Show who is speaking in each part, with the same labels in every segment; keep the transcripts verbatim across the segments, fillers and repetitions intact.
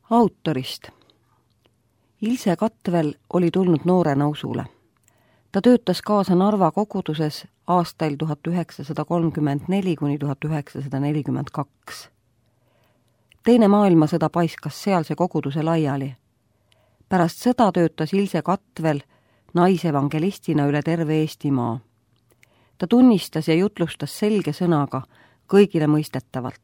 Speaker 1: Autorist. Ilse Katvel oli tulnud noorena usule. Ta töötas kaasa Narva koguduses aastail tuhat üheksasada kolmkümmend neli kuni tuhat üheksasada nelikümmend kaks. Teine maailmasõda paiskas sealse koguduse laiali. Pärast sõda töötas Ilse Katvel naisevangelistina üle terve Eestimaa. Ta tunnistas ja jutlustas selge sõnaga kõigile mõistetavalt.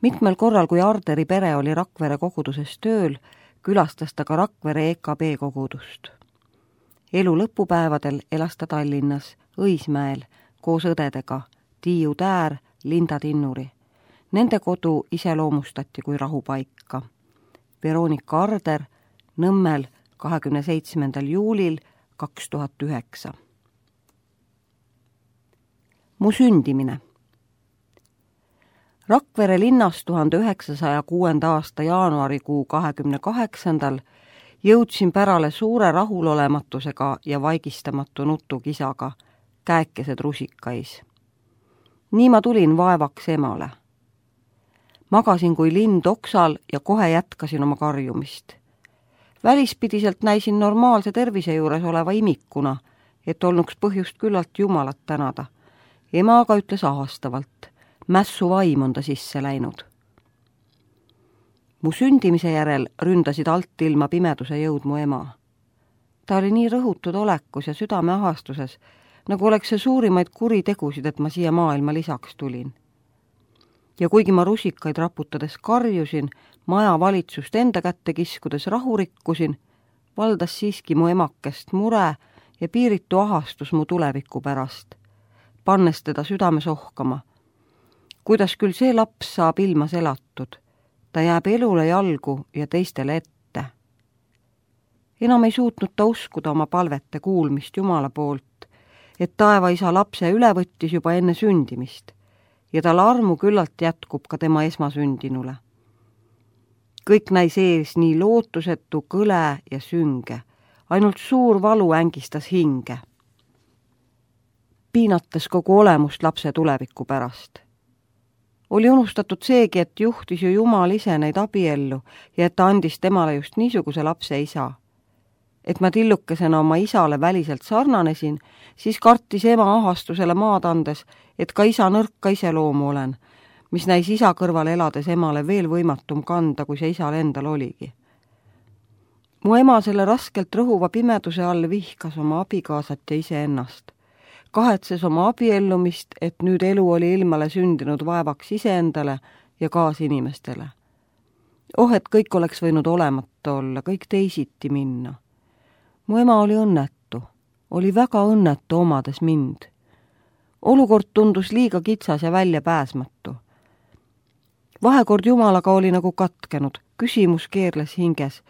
Speaker 1: Mitmel korral, kui Arderi pere oli Rakvere koguduses tööl, külastas ta ka Rakvere E K B kogudust. Elu lõpupäevadel elas ta Tallinnas, Õismäel, koos õdedega, Tiiu Täär, Linda Tinnuri. Nende kodu iseloomustati kui rahupaika. Veronika Arder, Nõmmel, kahekümne seitsmendal juulil kaks tuhat üheksa. Mu sündimine. Rakvere linnas tuhande üheksasaja kuuenda aasta jaanuarikuu kahekümne kaheksandal jõudsin pärale suure rahulolematusega ja vaigistamatu nutukisaga, käekesed rusikais. Nii ma tulin vaevaks emale. Magasin kui lind oksal ja kohe jätkasin oma karjumist. Välispidiselt näisin normaalse tervise juures oleva imikuna, et olnuks põhjust küllalt Jumalat tänada. Ema aga ütles ahastavalt, mässu vaim on ta sisse läinud. Mu sündimise järel ründasid alt ilma pimeduse jõud mu ema. Ta oli nii rõhutud olekus ja südame ahastuses, nagu oleks see suurimaid kuritegusid, et ma siia maailma lisaks tulin. Ja kuigi ma rusikaid raputades karjusin, maja valitsust enda kätte kiskudes rahu rikkusin, valdas siiski mu emakest mure ja piiritu ahastus mu tuleviku pärast, pannes teda südames ohkama. Kuidas küll see laps saab ilmas elatud, ta jääb elule jalgu ja teistele ette. Enam ei suutnud ta uskuda oma palvete kuulmist Jumala poolt, et taevaisa lapse üle võttis juba enne sündimist ja tal armu küllalt jätkub ka tema esmasündinule. Kõik näis ees nii lootusetu, kõle ja sünge, ainult suur valu ängistas hinge, piinates kogu olemust lapse tuleviku pärast. Oli unustatud seegi, et juhtis ju Jumal ise neid abiellu ja et ta andis temale just niisuguse lapse isa. Et ma tillukesena oma isale väliselt sarnanesin, siis kartis ema ahastusele maad andes, et ka isa nõrka iseloomu olen, mis näis isa kõrval elades emale veel võimatum kanda, kui see isal endal oligi. Mu ema selle raskelt rõhuva pimeduse all vihkas oma abikaasat ja iseennast. Kahetses oma abiellumist, et nüüd elu oli ilmale sündinud vaevaks iseendale ja kaasinimestele. Oh, et kõik oleks võinud olemata olla, kõik teisiti minna. Mu ema oli õnnetu, oli väga õnnetu omades mind. Olukord tundus liiga kitsas ja välja pääsmatu. Vahekord Jumalaga oli nagu katkenud, küsimus keerles hinges.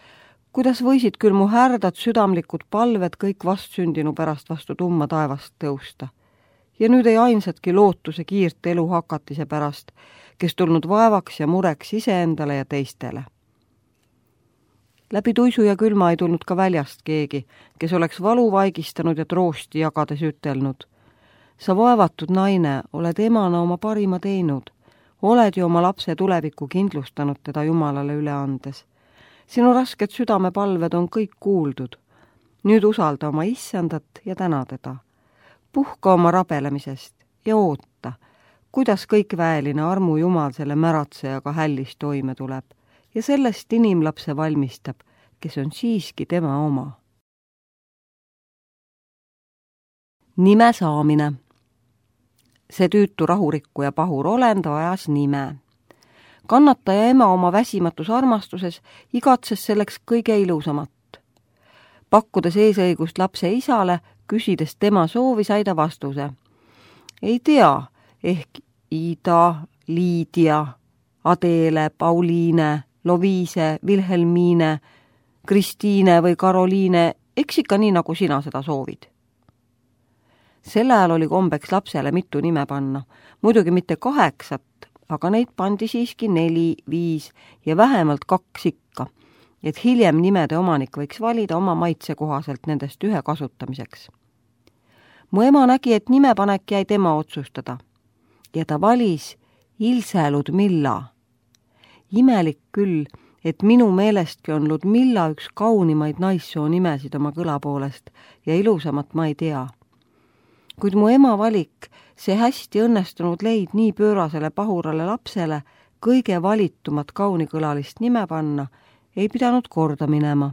Speaker 1: Kuidas võisid küll mu härdad südamlikud palved kõik vastsündinu pärast vastu tumma taevast tõusta? Ja nüüd ei ainsatki lootuse kiirt elu hakatise pärast, kes tulnud vaevaks ja mureks iseendale ja teistele. Läbi tuisu ja külma ei tulnud ka väljast keegi, kes oleks valu vaigistanud ja troosti jagades ütelnud. Sa vaevatud naine, oled emana oma parima teinud, oled ju oma lapse tulevikku kindlustanud teda Jumalale üle andes. Sinu rasked südamepalved on kõik kuuldud. Nüüd usalda oma issandat ja täna teda. Puhka oma rabelemisest ja oota, kuidas kõik väeline armu Jumal selle märatsejaga hällis toime tuleb ja sellest inimlapse valmistab, kes on siiski tema oma. Nime saamine. See tüütu rahurikku ja pahur olend vajas nime. Kannataja ema oma väsimatus armastuses igatses selleks kõige ilusamat. Pakkudes eesõigust lapse isale, küsides tema soovi, sai ta vastuse. Ei tea, ehk Ida, Liidia, Adele, Pauliine, Loviise, Vilhelmiine, Kristiine või Karoliine, eks ikka nii, nagu sina seda soovid. Sel ajal oli kombeks lapsele mitu nime panna, muidugi mitte kaheksat, aga neid pandi siiski neli, viis ja vähemalt kaks ikka, et hiljem nimede omanik võiks valida oma maitse kohaselt nendest ühe kasutamiseks. Mu ema nägi, et nimepanek jäi tema otsustada ja ta valis Ilse Ludmilla. Imelik küll, et minu meelestki on Ludmilla üks kaunimaid naissoo nimesid oma kõla poolest ja ilusamat ma ei tea. Kuid mu ema valik, see hästi õnnestunud leid nii pöörasele pahurale lapsele kõige valitumat kaunikõlalist nime panna, ei pidanud korda minema.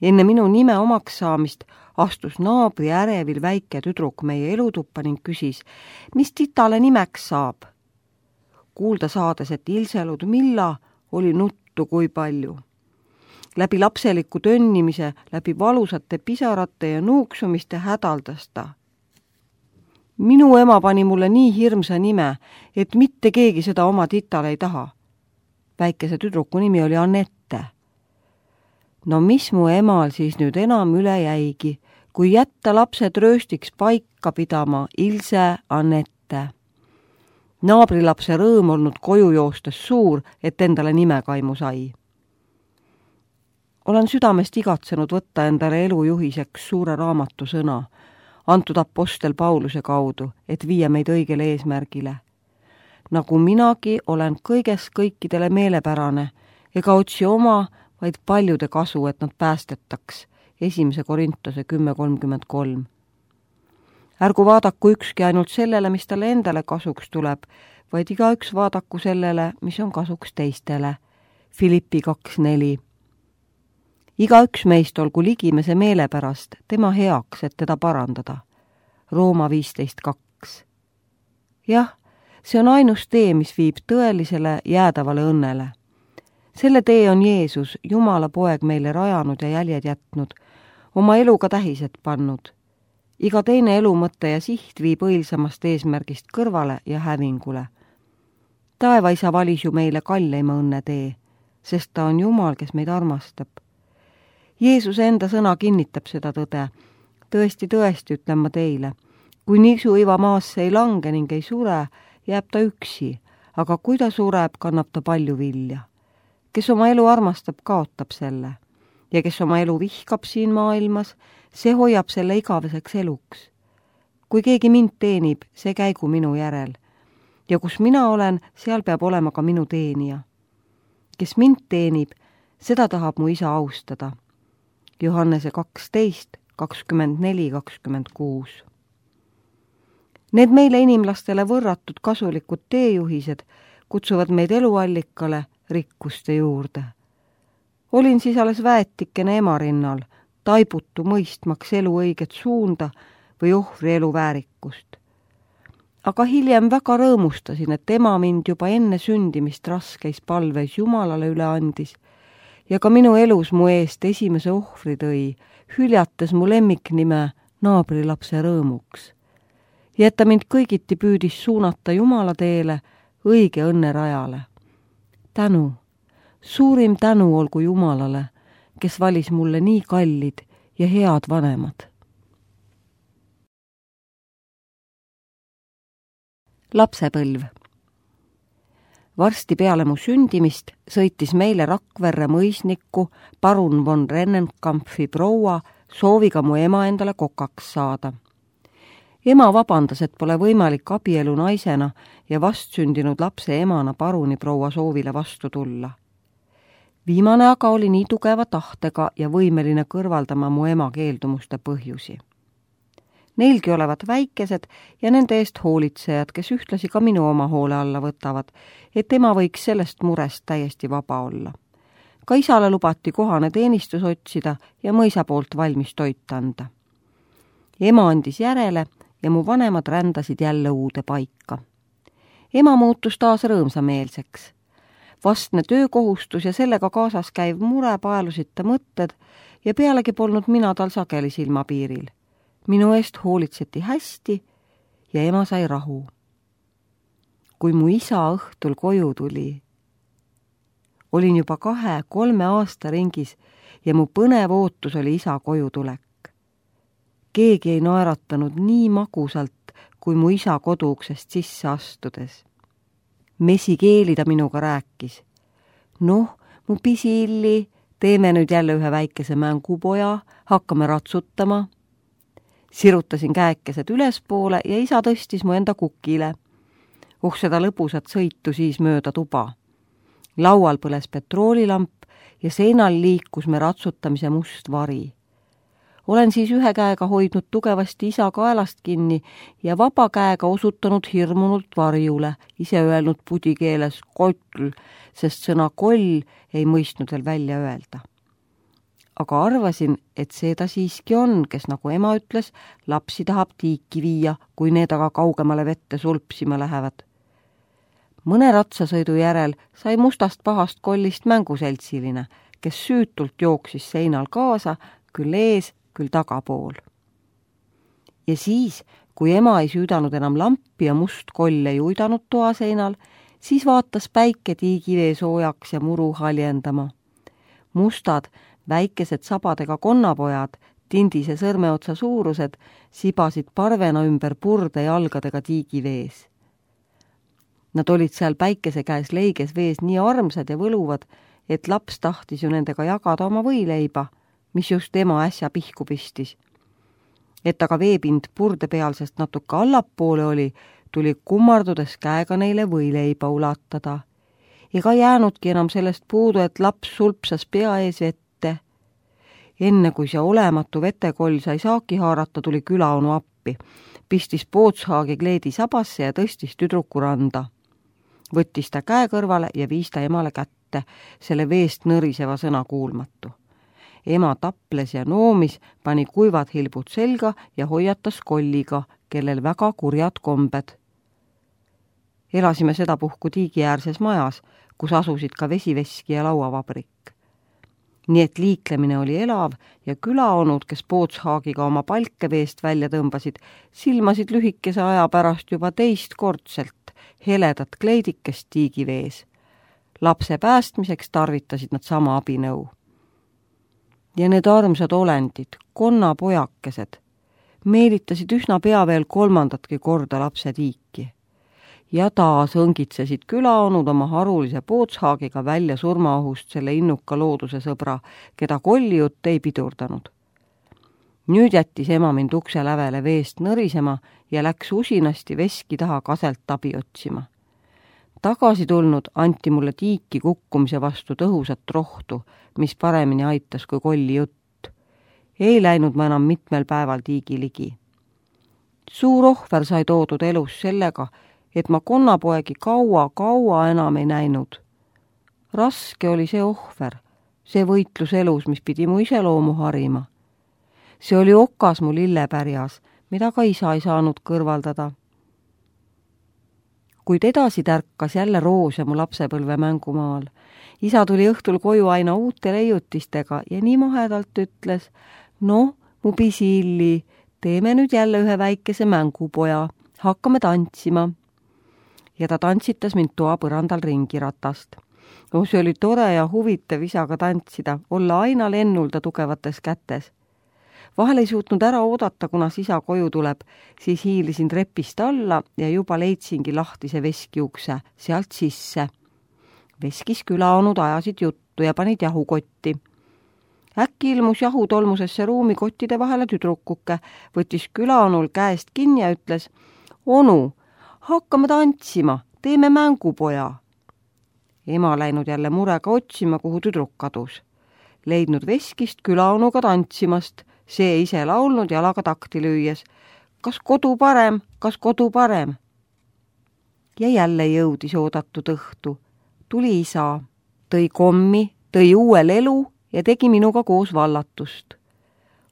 Speaker 1: Enne minu nime omaks saamist astus naabri ärevil väike tüdruk meie elutuppa ning küsis, mis titale nimeks saab. Kuulda saades, et Ilse Ludmilla oli nuttu kui palju. Läbi lapseliku tönnimise, läbi valusate pisarate ja nuuksumiste hädaldas ta. Minu ema pani mulle nii hirmsa nime, et mitte keegi seda oma titale ei taha. Väikese tüdruku nimi oli Annette. No mis mu emal siis nüüd enam üle jäigi, kui jätta lapsed rööstiks paika pidama Ilse Annette. Naabrilapse rõõm olnud koju joostes suur, et endale nime kaimu sai. Olen südamest igatsenud võtta endale elujuhiseks suure raamatu sõna, antud apostel Pauluse kaudu, et viia meid õigele eesmärgile. Nagu minagi olen kõiges kõikidele meelepärane, ega otsi oma, vaid paljude kasu, et nad päästetaks. Esimese Korintuse kümme kolmkümmend kolm. Ärgu vaadaku ükski ainult sellele, mis talle endale kasuks tuleb, vaid igaüks vaadaku sellele, mis on kasuks teistele. Filippi kaks neli. Igaüks meist olgu ligimese meelepärast tema heaks, et teda parandada. Rooma viisteist kaks. Jah, see on ainus tee, mis viib tõelisele jäädavale õnnele. Selle tee on Jeesus, Jumala poeg, meile rajanud ja jäljed jätnud, oma eluga tähised pannud. Iga teine elumõtte ja siht viib õilsamast eesmärgist kõrvale ja hävingule. Taevaisa valis ju meile kalleima õnne tee, sest ta on Jumal, kes meid armastab. Jeesuse enda sõna kinnitab seda tõde. Tõesti, tõesti, ütlen ma teile, kui nisuiva maasse ei lange ning ei sure, jääb ta üksi, aga kui ta sureb, kannab ta palju vilja. Kes oma elu armastab, kaotab selle. Ja kes oma elu vihkab siin maailmas, see hoiab selle igaveseks eluks. Kui keegi mind teenib, see käigu minu järel. Ja kus mina olen, seal peab olema ka minu teenija. Kes mind teenib, seda tahab mu isa austada. Johannese kaksteist, kakskümmend neli, kakskümmend kuus. Need meile inimlastele võrratud kasulikud teejuhised kutsuvad meid eluallikale rikkuste juurde. Olin siis alles väetikene ema rinnal, taibutu mõistmaks elu õiget suunda või ohvri elu väärikust. Aga hiljem väga rõõmustasin, et ema mind juba enne sündimist raskeis palveis Jumalale üle andis ja ka minu elus mu eest esimese ohvri tõi, hüljates mu lemmiknime naabrilapse rõõmuks. Ja et ta mind kõigiti püüdis suunata Jumala teele, õige õnne rajale. Tänu, suurim tänu olgu Jumalale, kes valis mulle nii kallid ja head vanemad. Lapsepõlv. Varsti peale mu sündimist sõitis meile Rakverre mõisnikku parun von Rennenkampfi proua sooviga mu ema endale kokaks saada. Ema vabandas, et pole võimalik abielu naisena ja vastsündinud lapse emana paruni proua soovile vastu tulla. Viimane aga oli nii tugeva tahtega ja võimeline kõrvaldama mu ema keeldumuste põhjusi. Neilgi olevat väikesed ja nende eest hoolitsejad, kes ühtlasi ka minu oma hoole alla võtavad, et ema võiks sellest murest täiesti vaba olla. Ka isale lubati kohane teenistus otsida ja mõisa poolt valmis toit anda. Ema andis järele ja mu vanemad rändasid jälle uude paika. Ema muutus taas rõõmsameelseks. Vastne töökohustus ja sellega kaasas käiv mure paelusid ta mõtted ja pealegi polnud mina tal sageli silmapiiril. Minu eest hoolitseti hästi ja ema sai rahu. Kui mu isa õhtul koju tuli, olin juba kahe, kolme aasta ringis ja mu põnev ootus oli isa koju tulek. Keegi ei naeratanud nii magusalt, kui mu isa koduuksest sisse astudes. Mesikeeli ta minuga rääkis. Noh, mu pisiilli, teeme nüüd jälle ühe väikese mängupoja, hakkame ratsutama. Sirutasin käekesed ülespoole ja isa tõstis mu enda kukile. Oh, seda lõbusat sõitu siis mööda tuba. Laual põles petroolilamp ja seinal liikus me ratsutamise must vari. Olen siis ühe käega hoidnud tugevasti isa kaelast kinni ja vaba käega osutanud hirmunult varjule, ise öelnud pudikeeles koll, sest sõna koll ei mõistnud veel välja öelda. Aga arvasin, et see ta siiski on, kes, nagu ema ütles, lapsi tahab tiiki viia, kui need aga kaugemale vette sulpsima lähevad. Mõne ratsasõidu järel sai mustast pahast kollist mänguseltsiline, kes süütult jooksis seinal kaasa, küll ees, küll tagapool. Ja siis, kui ema ei süüdanud enam lampi ja must koll ei uidanud toa seinal, siis vaatas päike tiigivee soojaks ja muru haljendama. Mustad, väikesed sabadega konnapojad, tindise sõrmeotsa suurused, sibasid parvena ümber purde jalgadega tiigivees. Nad olid seal päikese käes leiges vees nii armsad ja võluvad, et laps tahtis ju nendega jagada oma võileiba, mis just ema äsja pihku pistis. Et aga veepind purdepealsest natuke allapoole oli, tuli kummardudes käega neile võileiba ulatada. Ega jäänudki enam sellest puudu, et laps sulpsas pea ees vette. Enne kui see olematu vetekoll sai saaki haarata, tuli külaonu appi, pistis pootshaagi kleedi sabasse ja tõstis tüdruku randa. Võttis ta käe kõrvale ja viis ta emale kätte, selle veest nõriseva sõna kuulmatu. Ema taples ja noomis, pani kuivad hilbud selga ja hoiatas kolliga, kellel väga kurjad kombed. Elasime sedapuhku tiigiäärses majas, kus asusid ka vesiveski ja lauavabrik. Nii et liiklemine oli elav ja külaonud, kes pootshaagiga oma palke veest välja tõmbasid, silmasid lühikese aja pärast juba teist kordselt heledat kleidikest tiigivees. Lapse päästmiseks tarvitasid nad sama abinõu. Ja need armsad olendid, konnapojakesed, meelitasid üsna pea veel kolmandatki korda lapse tiiki. Ja taas õngitsesid külaonud oma harulise pootshaagiga välja surmaohust selle innuka looduse sõbra, keda kollijutt ei pidurdanud. Nüüd jättis ema mind ukse lävele veest nõrisema ja läks usinasti veski taha kaselt abi otsima. Tagasi tulnud anti mulle tiiki kukkumise vastu tõhusat rohtu, mis paremini aitas kui kolli jutt. Ei läinud ma enam mitmel päeval tiigi ligi. Suur ohver sai toodud elus sellega, et ma konnapoegi kaua-kaua enam ei näinud. Raske oli see ohver, see võitlus elus, mis pidi mu iseloomu harima. See oli okas mu lillepärjas, mida ka isa ei saanud kõrvaldada. Kuid edasi tärkas jälle roos ja mu lapsepõlve mängumaal. Isa tuli õhtul koju aina uute leiutistega ja nii mahedalt ütles, no, mu pisiilli, teeme nüüd jälle ühe väikese mängupoja, hakkame tantsima. Ja ta tantsitas mind toa põrandal ringi ratast. No, see oli tore ja huvitav isaga tantsida, olla aina lennulda tugevates kätes. Vahel ei suutnud ära oodata, kuna isa koju tuleb, siis hiilisin trepist alla ja juba leidsingi lahtise veskiukse sealt sisse. Veskis külaonud ajasid juttu ja panid jahukotti. Äkki ilmus jahutolmusesse ruumi kottide vahele tüdrukuke, võttis külaonul käest kinni ja ütles, onu, hakkame tantsima, teeme mängupoja. Ema läinud jälle murega otsima, kuhu tüdruk kadus. Leidnud veskist külaonuga tantsimast, see ise laulnud jalaga takti lüües. Kas kodu parem, kas kodu parem? Ja jälle jõudis oodatud õhtu. Tuli isa, tõi kommi, tõi uue lelu ja tegi minuga koos vallatust.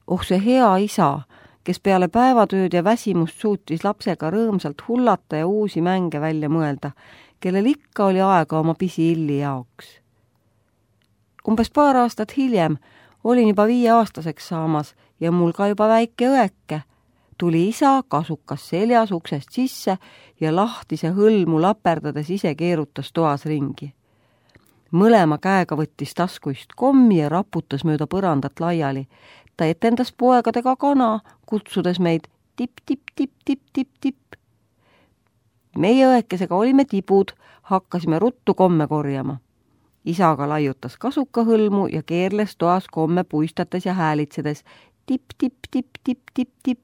Speaker 1: Oh, see hea isa, kes peale päevatööd ja väsimust suutis lapsega rõõmsalt hullata ja uusi mänge välja mõelda, kellel ikka oli aega oma pisiilli jaoks. Umbes paar aastat hiljem olin juba viieaastaseks saamas ja mul ka juba väike õeke. Tuli isa kasukas seljas uksest sisse ja lahtise hõlmu laperdades ise keerutas toas ringi. Mõlema käega võttis taskuist kommi ja raputas mööda põrandat laiali. Ta etendas poegadega kana, kutsudes meid tipp-tipp-tipp-tipp-tipp-tipp. Meie õekesega olime tibud, hakkasime ruttu komme korjama. Isaga laiutas kasuka hõlmu ja keerles toas komme puistates ja häälitsedes tipp-tipp-tipp-tipp-tipp-tipp.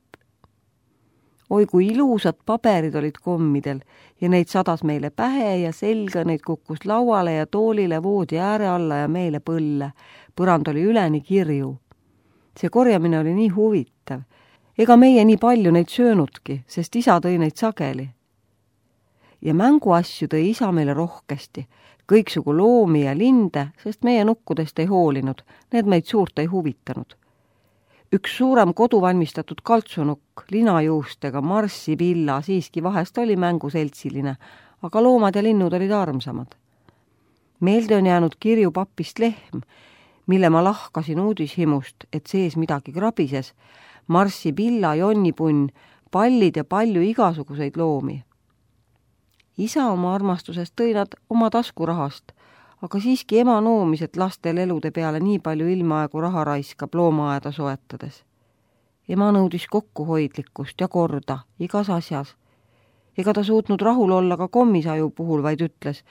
Speaker 1: Oi, kui ilusad paberid olid kommidel ja neid sadas meile pähe ja selga, neid kukkus lauale ja toolile, voodi ääre alla ja meile põlle. Põrand oli üleni kirju. See korjamine oli nii huvitav. Ega meie nii palju neid söönudki, sest isa tõi neid sageli. Ja mänguasju tõi isa meile rohkesti, kõiksugu loomi ja linde, sest meie nukkudest ei hoolinud, need meid suurt ei huvitanud. Üks suurem koduvalmistatud kaltsunukk, linajuustega, marssipilla, siiski vahest oli mänguseltsiline, aga loomad ja linnud olid armsamad. Meelde on jäänud kirju papist lehm, mille ma lahkasin uudishimust, et sees midagi krabises, marssipilla, jonnipunn, pallid ja palju igasuguseid loomi. Isa oma armastusest tõi nad oma taskurahast, aga siiski ema noomis, et lastel elude peale nii palju ilmaaegu raha raiskab loomaaeda soetades. Ema nõudis kokkuhoidlikkust ja korda igas asjas. Ega ta suutnud rahul olla ka kommisaju puhul, vaid ütles,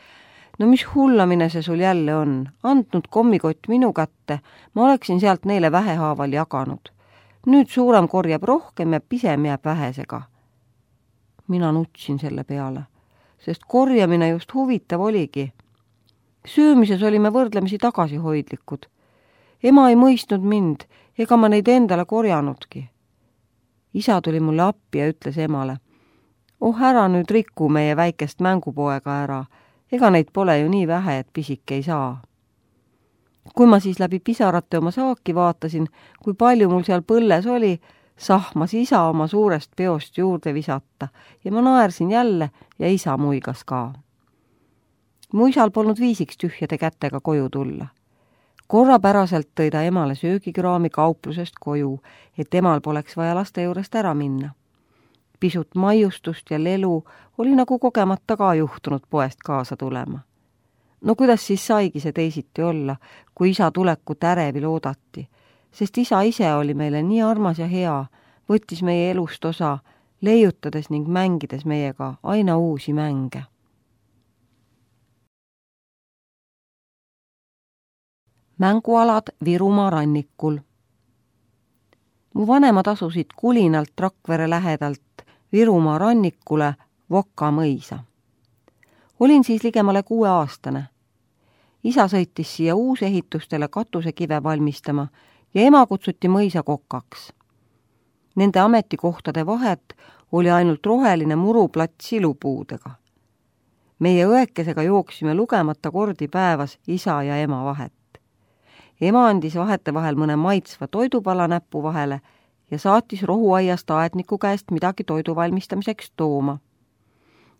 Speaker 1: no mis hullamine see sul jälle on, andnud kommikott minu kätte, ma oleksin sealt neile vähehaaval jaganud. Nüüd suurem korjab rohkem ja pisem jääb vähesega. Mina nutsin selle peale, sest korjamine just huvitav oligi. Söömises olime võrdlemisi tagasihoidlikud. Ema ei mõistnud mind, ega ma neid endale korjanudki. Isa tuli mulle appi ja ütles emale, oh ära nüüd riku meie väikest mängupoega ära, ega neid pole ju nii vähe, et pisike ei saa. Kui ma siis läbi pisarate oma saaki vaatasin, kui palju mul seal põlles oli, sahmas isa oma suurest peost juurde visata ja ma naersin jälle ja isa muigas ka. Mu isal polnud viisiks tühjade kätega koju tulla. Korrapäraselt tõi ta emale söögikraami kauplusest koju, et emal poleks vaja laste juurest ära minna. Pisut maiustust ja lelu oli nagu kogemata ka juhtunud poest kaasa tulema. No kuidas siis saigi see teisiti olla, kui isa tulekut ärevil oodati, sest isa ise oli meile nii armas ja hea, võttis meie elust osa, leiutades ning mängides meiega aina uusi mänge. Mängualad Virumaa rannikul. Mu vanemad asusid Kulinalt Rakvere lähedalt Virumaa rannikule Voka mõisa. Olin siis ligemale kuue aastane. Isa sõitis siia uusehitustele katusekive valmistama ja ema kutsuti mõisa kokaks. Nende ametikohtade vahet oli ainult roheline muruplats silupuudega. Meie õekesega jooksime lugemata kordi päevas isa ja ema vahet. Ema andis vahete vahel mõne maitsva toidupala näppu vahele ja saatis rohuaiast aedniku käest midagi toidu valmistamiseks tooma.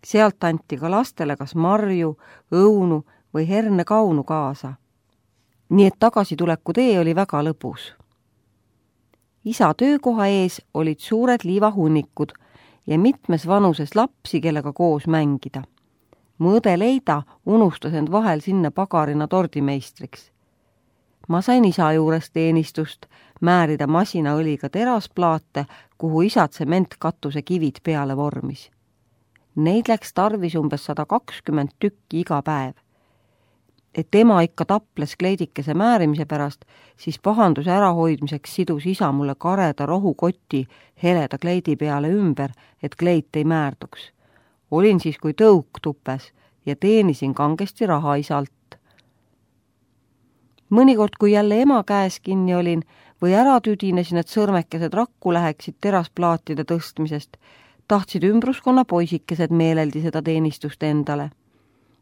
Speaker 1: Sealt anti ka lastele kas marju, õunu või hernekaunu kaasa. Nii et tagasituleku tee oli väga lõbus. Isa töökoha ees olid suured liivahunnikud ja mitmes vanuses lapsi, kellega koos mängida. Mu õde Leida unustas end vahel sinna pagarina tordimeistriks. Ma sain isa juures teenistust määrida masinaõliga terasplaate, kuhu isa tsementkatuse kivid peale vormis. Neid läks tarvis umbes sada kakskümmend tükki iga päev. Et ema ikka taples kleidikese määrimise pärast, siis pahanduse ärahoidmiseks sidus isa mulle kareda rohukoti heleda kleidi peale ümber, et kleit ei määrduks. Olin siis kui tõuk tupes ja teenisin kangesti raha isalt. Mõnikord, kui jälle ema käes kinni olin või ära tüdinesin, et sõrmekesed rakku läheksid terasplaatide tõstmisest, tahtsid ümbruskonna poisikesed meeleldi seda teenistust endale.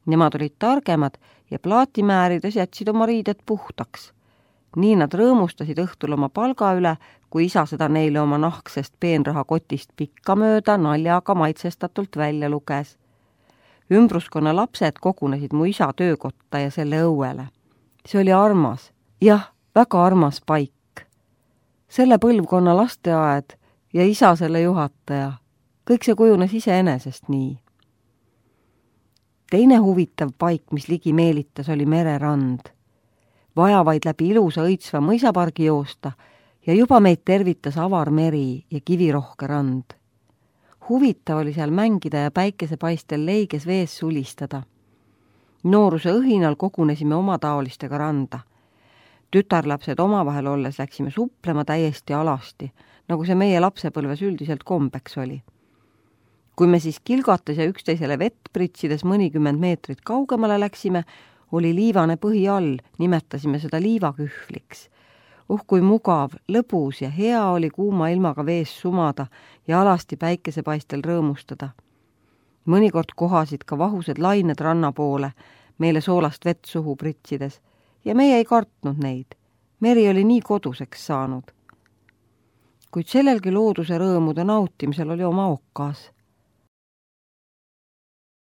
Speaker 1: Nemad olid targemad ja plaati määrides jätsid oma riided puhtaks. Nii nad rõõmustasid õhtul oma palga üle, kui isa seda neile oma nahksest peenraha kotist pikka mööda naljaga maitsestatult välja luges. Ümbruskonna lapsed kogunesid mu isa töökotta ja selle õuele. See oli armas, jah, väga armas paik. Selle põlvkonna lasteaed ja isa selle juhataja, kõik see kujunes iseenesest nii. Teine huvitav paik, mis ligi meelitas, oli mererand. Vaja vaid läbi ilusa õitsva mõisapargi joosta ja juba meid tervitas avar meri ja kivirohke rand. Huvitav oli seal mängida ja päikesepaistel leiges vees sulistada. Nooruse õhinal kogunesime omataolistega randa. Tütarlapsed omavahel olles läksime suplema täiesti alasti, nagu see meie lapsepõlves üldiselt kombeks oli. kui me siis kilgates ja üksteisele vett pritsides mõnikümmend meetrit kaugemale läksime, oli liivane põhi all, nimetasime seda liivakühvliks. Uh, kui mugav, lõbus ja hea oli kuuma ilmaga vees sumada ja alasti päikesepaistel rõõmustada. Mõnikord kohasid ka vahused lained ranna poole, meile soolast vett suhu pritsides, ja meie ei kartnud neid. Meri oli nii koduseks saanud. Kuid sellelgi looduse rõõmude nautimisel oli oma okkas.